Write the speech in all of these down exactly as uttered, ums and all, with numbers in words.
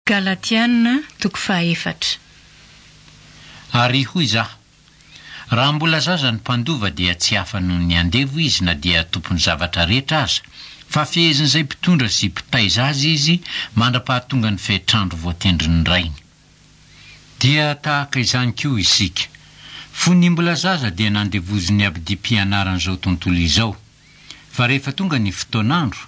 Galatiana toko fahaefatra. Ary hoy izaho, Raha mbola zaza ny mpandova dia tsy hafa noho ny andevo izy na dia tompon'ny zavatra rehetra aza, fa fehezin'izay mpitondra sy mpitaiza azy izy mandra-pahatonga ny fetr'andro voatendrin'ny rainy. Dia tahaka izany koa isika. Fony mbola zaza dia nandevozin'ny abidim-pianaran'izao tontolo izao. Fa rehefa tonga ny fotoan'andro,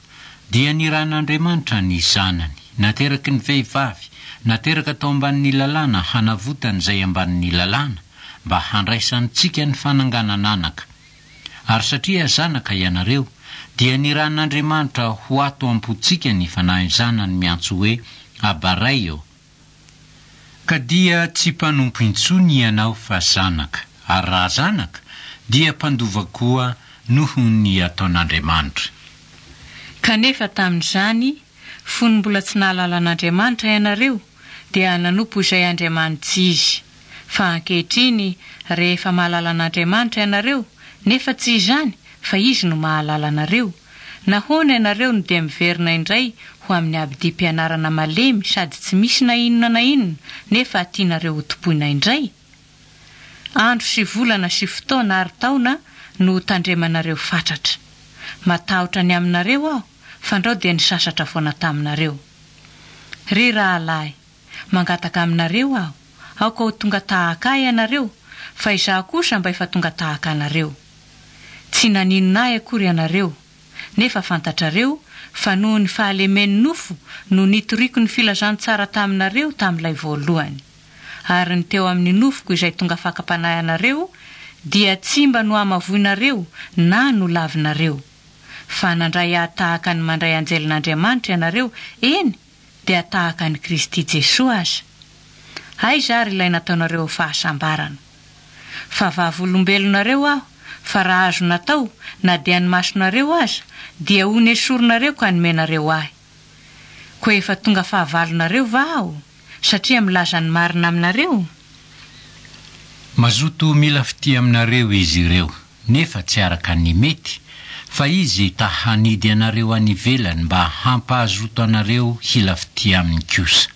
dia nirahin'Andriamanitra ny Zanany, nateraky ny vehivavy, nateraka tao ambanin'ny lalàna hanavotana izay ambanin'ny lalàna, mba handraisantsika ny fananganan'anaka. Ary satria zanaka ianareo, dia nirahin'Andriamanitra ho ato am-pontsika ny Fanahin'ny Zanany miantso hoe, Aba Ray ô! Ka dia tsy mpanompo intsony ianao fa zanaka, ary raha zanaka, dia mpandova koa noho ny ataon'Andriamanitra. Kanefa tamin'izany, fony mbola tsy nahalala an'Andriamanitra ianareo, dia nanompo izay andriamani-tsy izy. Fa ankehitriny, rehefa mahalala an'Andriamanitra ianareo, nefa tsy izany, fa Izy no mahalala anareo, nahoana ianareo no dia miverina indray ho amin'ny abidim-pianarana malemy sady tsy misy na inona na inona, nefa tianareo hotompoina indray? Andro sy volana sy fotoana ary taona no tandremanareo fatratra. Matahotra ny aminareo aho, fandrao dia nisasatra foana taminareo. Ry rahalahy, mangataka aminareo aho, aoka ho tonga tahaka ahy ianareo, fa izaho kosa mba efa tonga tahaka anareo. Tsy naninona ahy akory ianareo, nefa fantatrareo fa noho ny fahalemen'ny nofo no nitoriako ny filazantsara taminareo tamin'ilay voalohany. Ary ny teo amin'ny nofoko izay tonga fakam-panahy anareo dia tsy mba nohamavoinareo na nolavinareo. Fa nandray ahy tahaka ny mandray anjelin'Andriamanitra ianareo, eny, dia tahaka an'i Kristy Jesoa aza. Aiza ary ilay nataonareo fahasambarana? Fa vavolombelonareo aho, fa raha azo natao, na dia ny masonareo aza, dia ho nesorinareo ka nomenareo ahy. Koa efa tonga fahavalonareo va aho, satria milaza ny marina aminareo? Mazoto mila fitia aminareo izy ireo, nefa tsy araka ny mety, fa izy ta hanidy anareo any ivelany mba hampahazoto anareo hila fitia aminy kosa.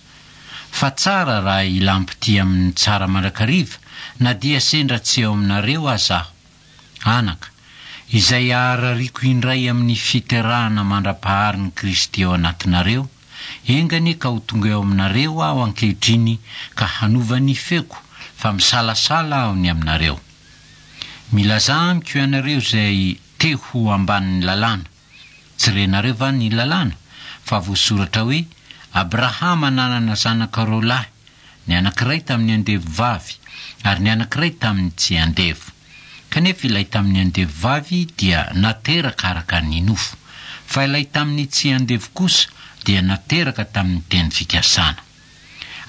Fa tsara raha ilam-pitia amin'ny tsara mandrakariva, na dia sendra tsy eo aminareo aza aho. Anaka, izay aharariako indray amin'ny fiterahana mandra-paharin'i Kristy ao anatinareo, enga anie ka ho tonga eo aminareo aho ankehitriny ka hanova ny feoko, fa misalasala aho ny aminareo. Milazà amiko ianareo izay te ho ambanin'ny lalàna. Tsy renareo va ny lalàna? Fa voasoratra hoe, Abrahama nanana zanaka roa lahy, ny anankiray tamin'ny andevo vavy, ary ny anankiray tamin'ny tsy andevo. Kanefa ilay tamin'ny andevo vavy dia nateraka araka ny nofo, fa ilay tamin'ny tsy andevo kosa dia nateraka tamin'ny teny fikasana.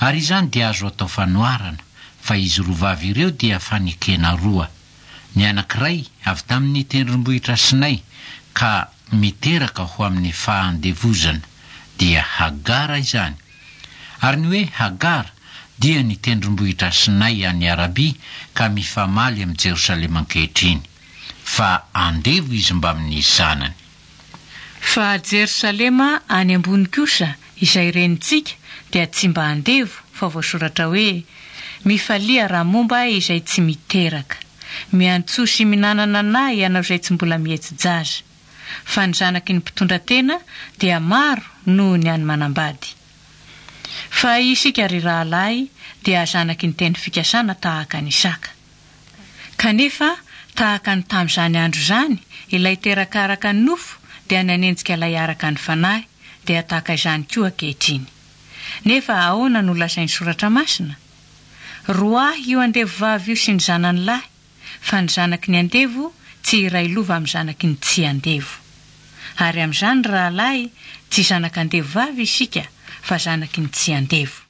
Ary izany dia azo atao fanoharana, fa izy roa vavy ireo dia fanekena roa. Ny anankiray avy tamin'ny tendrombohitra Sinay ka miteraka ho amin'ny fahandevozana, dia Hagara izany. Ary ny hoe Hagara dia ny tendrombohitra Sinay any Arabia ka mifamaly amin'i Jerosalema ankehitriny, fa andevo izy mbamin'ny zanany. Fa Jerosalema any ambony kosa, izay renintsika, dia tsy mba andevo, fa voasoratra hoe, Mifalia raha momba izay tsy miteraka. Miantsoa sy minanana anahy ianao izay tsy mbola mihetsi-jaza. Fa ny zanaky ny mpitondra tena dia maro noho ny an'ny manambady. Fa isika ry rahalahy dia zanaky ny teny fikasana tahaka an'i Isaka. Kanefa tahaka ny tamin'izany andro izany, ilay teraka araka ny nofo dia nanenjika ilay araka ny fanahy, dia tahaka izany koa ankehitriny. Nefa ahoana no lazain'ny soratra masina? Roahy io andevo vavy io sy ny zanany lahy, fa ny zanaky ny andevo tsy iray lova amin'ny zanaky ny tsy andevo. Ary amin'izany rahalahy, tsy zanak'andevo vavy isika, fa zanaky ny tsy andevo.